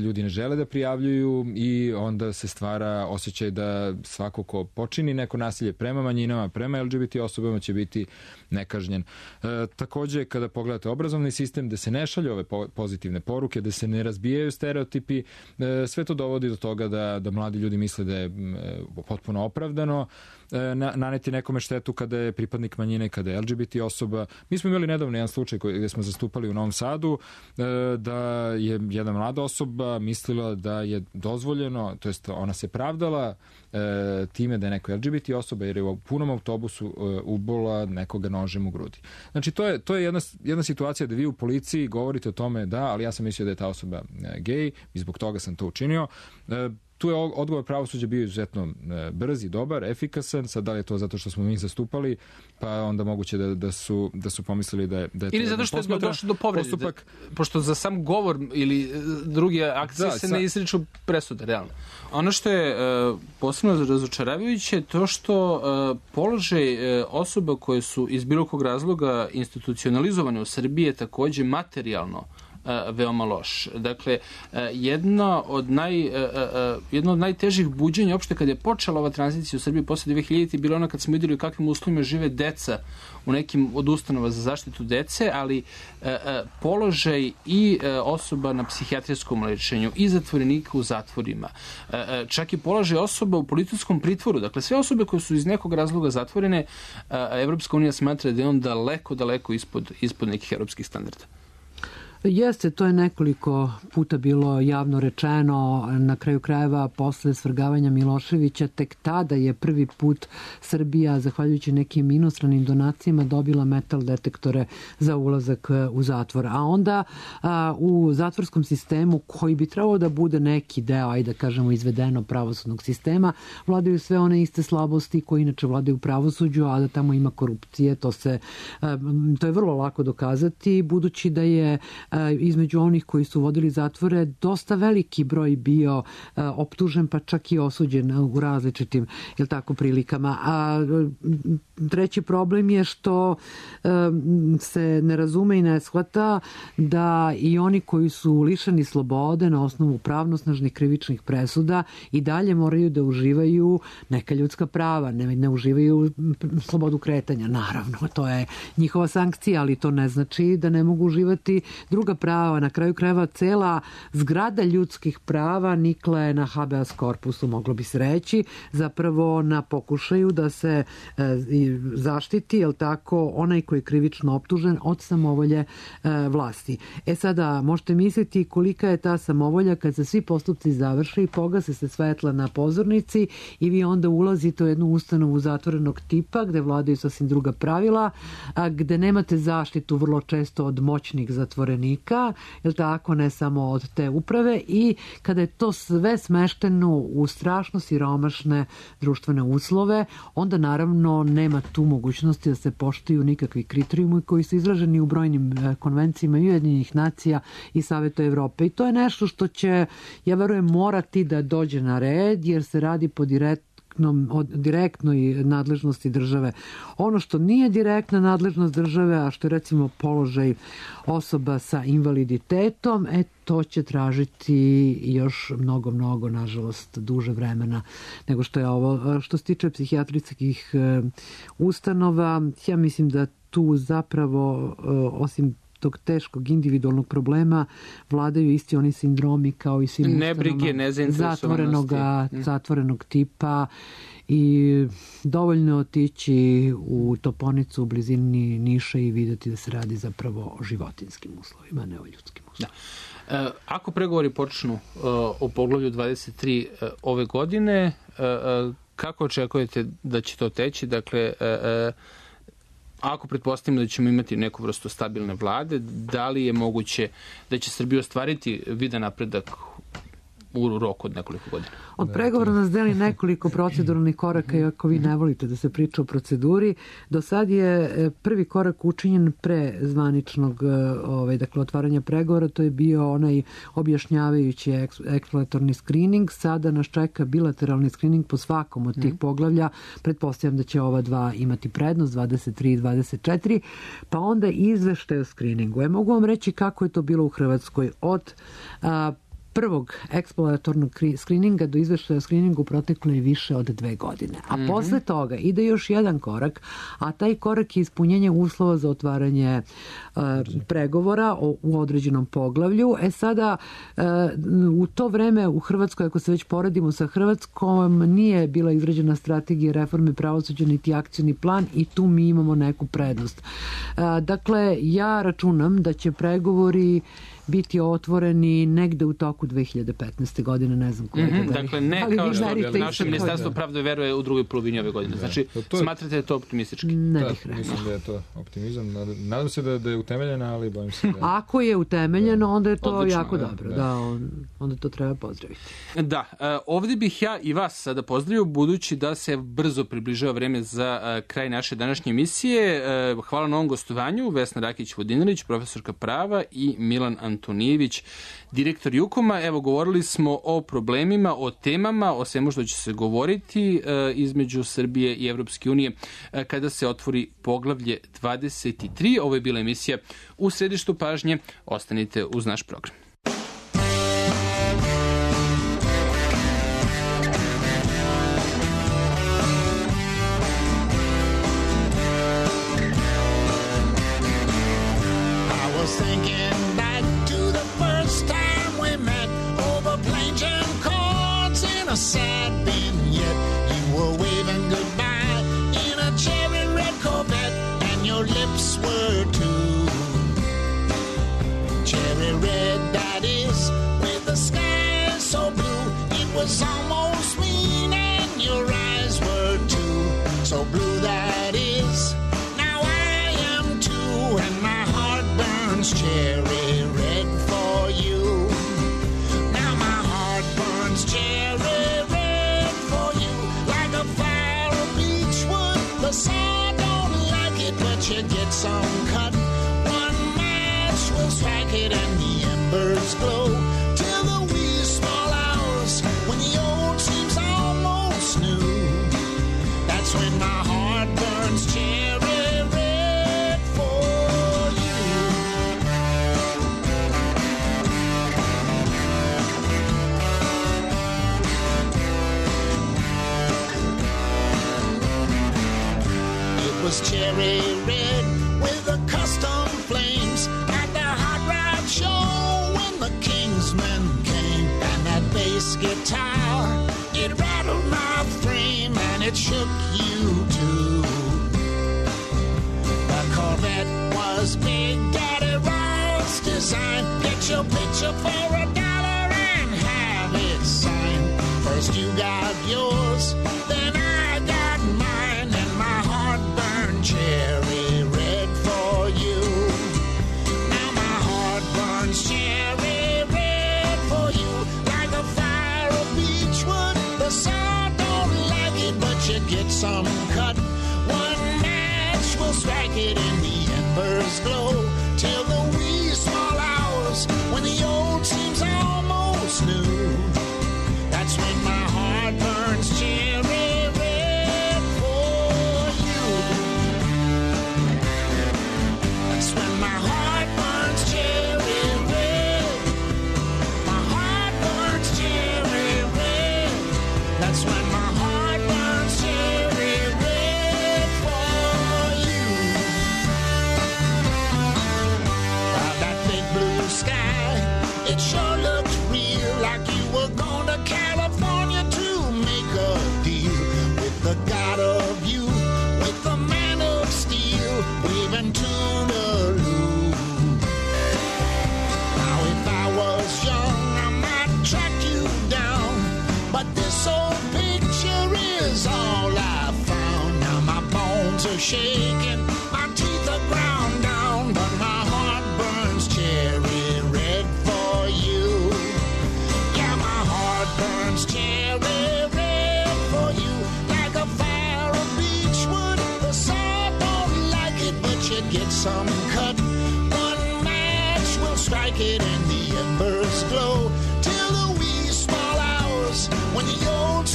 ljudi ne žele da prijavljuju i onda se stvara osjećaj da svako ko počini neko nasilje prema manjinama, prema L G B T osobama će biti nekažnjen. E, takođe, kada pogledate obrazovni sistem, da se ne šalju ove po- pozitivne poruke, da se ne razbijaju stereotipi, e, sve to dovodi do toga da, da mladi ljudi misle da je e, potpuno opravdano e, na, naneti nekome štetu kada je pripadnik manjine, kada je L G B T osoba. Mi smo imali nedavno jedan slučaj koji, gde smo zastupali u Novom Sadu, e, da je jedna mlada osoba mislila da je dozvoljeno, to jest ona se pravdala e, time da je neko L G B T osoba jer je u punom autobusu e, ubola nekoga nožem u grudi. Znači to je, to je jedna, jedna situacija da vi u policiji govorite o tome da, ali ja sam mislio da je ta osoba e, gej i zbog toga sam to učinio. E, tu je odgovor pravosuđa bio izuzetno brz i dobar, efikasan. Sad da li je to zato što smo mi zastupali, pa onda moguće da, da, su, da su pomislili da je, da je to ili zato što je došlo do povrede, postupak... pošto za sam govor ili druge akcije da, se sa... ne izriču presude, realno. Ono što je uh, posebno razočaravajuće je to što uh, položaj uh, osoba koje su iz bilo kog razloga institucionalizovane u Srbiji je takođe materijalno veoma loš. Dakle, jedna od, naj, jedno od najtežih buđenja uopšte kada je počela ova tranzicija u Srbiji posle dve hiljadite bilo ono kad smo videli u kakvim uslovima žive deca u nekim od ustanova za zaštitu dece, ali položaj i osoba na psihijatrijskom lečenju i zatvorenika u zatvorima. Čak i položaj osoba u policijskom pritvoru. Dakle, sve osobe koje su iz nekog razloga zatvorene, Evropska unija smatra da je on daleko, daleko ispod, ispod nekih evropskih standarda. Jeste, to je nekoliko puta bilo javno rečeno, na kraju krajeva posle svrgavanja Miloševića, tek tada je prvi put Srbija, zahvaljujući nekim inostranim donacijama, dobila metal detektore za ulazak u zatvor. A onda a, u zatvorskom sistemu, koji bi trebao da bude neki deo, ajde da kažemo, izvedeno pravosudnog sistema, vladaju sve one iste slabosti koje inače vladaju u pravosuđu, a da tamo ima korupcije, to se a, to je vrlo lako dokazati, budući da je između onih koji su vodili zatvore dosta veliki broj bio optužen, pa čak i osuđen u različitim, jel tako, prilikama. A treći problem je što se ne razume i ne shvata da i oni koji su lišeni slobode na osnovu pravnosnažnih krivičnih presuda i dalje moraju da uživaju neka ljudska prava, ne, ne uživaju slobodu kretanja. Naravno, to je njihova sankcija, ali to ne znači da ne mogu uživati druga prava. Na kraju krajeva cela zgrada ljudskih prava nikla je na habeas corpusu, moglo bi se reći, zapravo na pokušaju da se e, zaštiti, jel tako, onaj koji je krivično optužen od samovolje e, vlasti. E sada, možete misliti kolika je ta samovolja kad se svi postupci završe i pogase se svetla na pozornici i vi onda ulazite u jednu ustanovu zatvorenog tipa gde vladaju sasvim druga pravila, a gde nemate zaštitu vrlo često od moćnih zatvorenika, jel tako, ne samo od te uprave, i kada je to sve smešteno u strašno siromašne društvene uslove, onda naravno nema tu mogućnosti da se poštuju nikakvi kriterijumi koji su izraženi u brojnim konvencijama i Ujedinjenih nacija i Saveta Evrope. I to je nešto što će, ja verujem, morati da dođe na red, jer se radi po direkt o direktnoj nadležnosti države. Ono što nije direktna nadležnost države, a što je recimo položaj osoba sa invaliditetom, e, to će tražiti još mnogo, mnogo, nažalost, duže vremena nego što je ovo. Što se tiče psihijatrijskih ustanova, ja mislim da tu zapravo, osim tog teškog individualnog problema, vladaju isti oni sindromi kao i svim ustanoma zatvorenog, zatvorenog tipa, i dovoljno otići u Toponicu u blizini Niša i vidjeti da se radi zapravo o životinskim uslovima, ne o ljudskim uslovima. Da. Ako pregovori počnu uh, u poglavlju dvadeset tri uh, ove godine, uh, uh, kako očekujete da će to teći? Dakle, uh, uh, ako pretpostavimo da ćemo imati neku vrstu stabilne vlade, da li je moguće da će Srbija ostvariti vidan napredak u roku od nekoliko godina? Od pregovora nas deli nekoliko proceduralnih koraka, i ako vi ne volite da se priča o proceduri, do sad je prvi korak učinjen pre zvaničnog ovaj, dakle, otvaranja pregovora, to je bio onaj objašnjavajući eksploratorni screening. Sada nas čeka bilateralni screening po svakom od tih poglavlja. Pretpostavljam da će ova dva imati prednost, dvadeset tri i dvadeset četiri, pa onda izveštaj o screeningu. E, mogu vam reći kako je to bilo u Hrvatskoj. Od a, prvog eksploratornog skrininga do izveštaja o skriningu proteklo je više od dve godine. A mm-hmm. posle toga ide još jedan korak, a taj korak je ispunjenje uslova za otvaranje uh, pregovora o, u određenom poglavlju. E sada, uh, u to vreme u Hrvatskoj, ako se već poredimo sa Hrvatskom, nije bila izrađena strategija reforme pravosuđa niti akcioni plan, i tu mi imamo neku prednost. Uh, dakle, ja računam da će pregovori biti otvoreni negde u toku dve hiljade petnaeste. godine, ne znam koliko. Mm-hmm, dakle, ne kao što naše ministarstvo pravde veruje u drugoj polovini ove godine. Znači, da, to je, smatrate da je to optimistički? Ne da, bih rekao. Mislim da je to optimizam. Nadam, nadam se da, da je utemeljena, ali bojim se da... Ako je utemeljeno, onda je to odlično, jako da, dobro. Da. Da, on, onda to treba pozdraviti. Da, ovdje bih ja i vas sada pozdravio, budući da se brzo približava vreme za kraj naše današnje emisije. Hvala na ovom gostovanju, Vesna Rakić-Vodinelić, profesorka prava, i Milan Antonijević, direktor Jukoma. Evo, govorili smo o problemima, o temama, o svemu što će se govoriti između Srbije i Evropske unije kada se otvori poglavlje dvadeset tri. Ovo je bila emisija U središtu pažnje. Ostanite uz naš program. Sad vignette, you were waving goodbye in a cherry red Corvette, and your lips were too cherry red. That is, with the sky so blue, it was almost mean, and your eyes were too so blue. That is, now I am too, and my heart burns cherry red for you. Now my heart burns cherry. The sun don't like it, but you get some cut. One match will strike it and the embers glow till the wee small hours when the old seems almost new. That's when my heart burns cherry red for you. It was cherry red with the custom flames at the Hot Rod Show when the Kingsmen came. And that bass guitar, it rattled my frame and it shook you too. The Corvette was Big Daddy Roll's design. Get your picture for a dollar and have it signed. First you got yours, then I got mine, and my heart burned cherry red for you. Now my heart burns cherry red for you, like a fire of beechwood. The sun don't like it, but you get some cut. One match will strike it and the embers glow till the wee small hours when the old seems almost new. That's when my heart burns cherry red for you. That's when my heart burns cherry red. My heart burns cherry red. That's when my heart burns cherry red for you. By that big blue sky, it sure looked real, like you were going to California to make a deal with the God of youth, with the man of steel, waving Toodaloo. Now if I was young, I might track you down, but this old picture is all I found. Now my bones are shaking, my teeth are ground down, but my heart burns cherry red for you. Yeah, my heart burns cherry red for you, like a fire of beechwood. The sun don't like it, but you get some cut. One match will strike it and the embers glow till the wee small hours when the old